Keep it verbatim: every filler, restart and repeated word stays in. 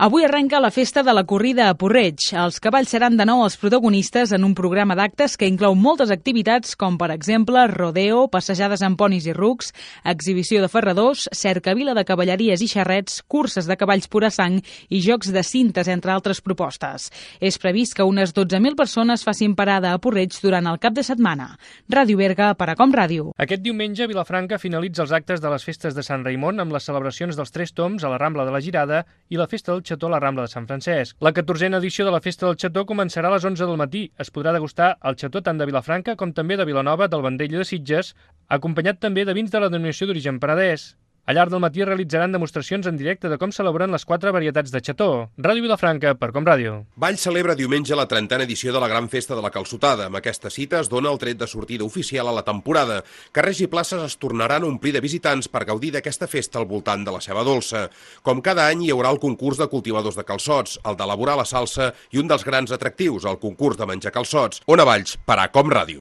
Avui arrenca la festa de la corrida a Porreig. Els cavalls seran de nou els protagonistes en un programa d'actes que inclou moltes activitats com, per exemple, rodeo, passejades amb ponis i rucs, exhibició de ferradors, cercavila de cavalleries i xarrets, curses de cavalls pura sang i jocs de cintes, entre altres propostes. És previst que unes dotze mil persones facin parada a Porreig durant el cap de setmana. Ràdio Berga, per a Com Ràdio. Aquest diumenge, Vilafranca finalitza els actes de les festes de Sant Raimon amb les celebracions dels Tres Tombs a la Rambla de la Girada i la Festa del Xató a la Rambla de Sant Francesc. La catorzena edició de la Festa del Xató començarà a les onze del matí. Es podrà degustar el xató tant de Vilafranca com també de Vilanova, del Vendrell i de Sitges, acompanyat també de vins de la denominació d'origen penedès. Al llarg del matí realitzaran demostracions en directe de com celebren les quatre varietats de xató. Ràdio Vilafranca, per Com Ràdio. Valls celebra diumenge la trentena edició de la Gran Festa de la Calçotada. Amb aquesta cita es dona el tret de sortida oficial a la temporada. Carrers i places es tornaran a omplir de visitants per gaudir d'aquesta festa al voltant de la ceba dolça. Com cada any hi haurà el concurs de cultivadors de calçots, el d'elaborar la salsa i un dels grans atractius, el concurs de menjar calçots. On a Valls, per a Com Ràdio.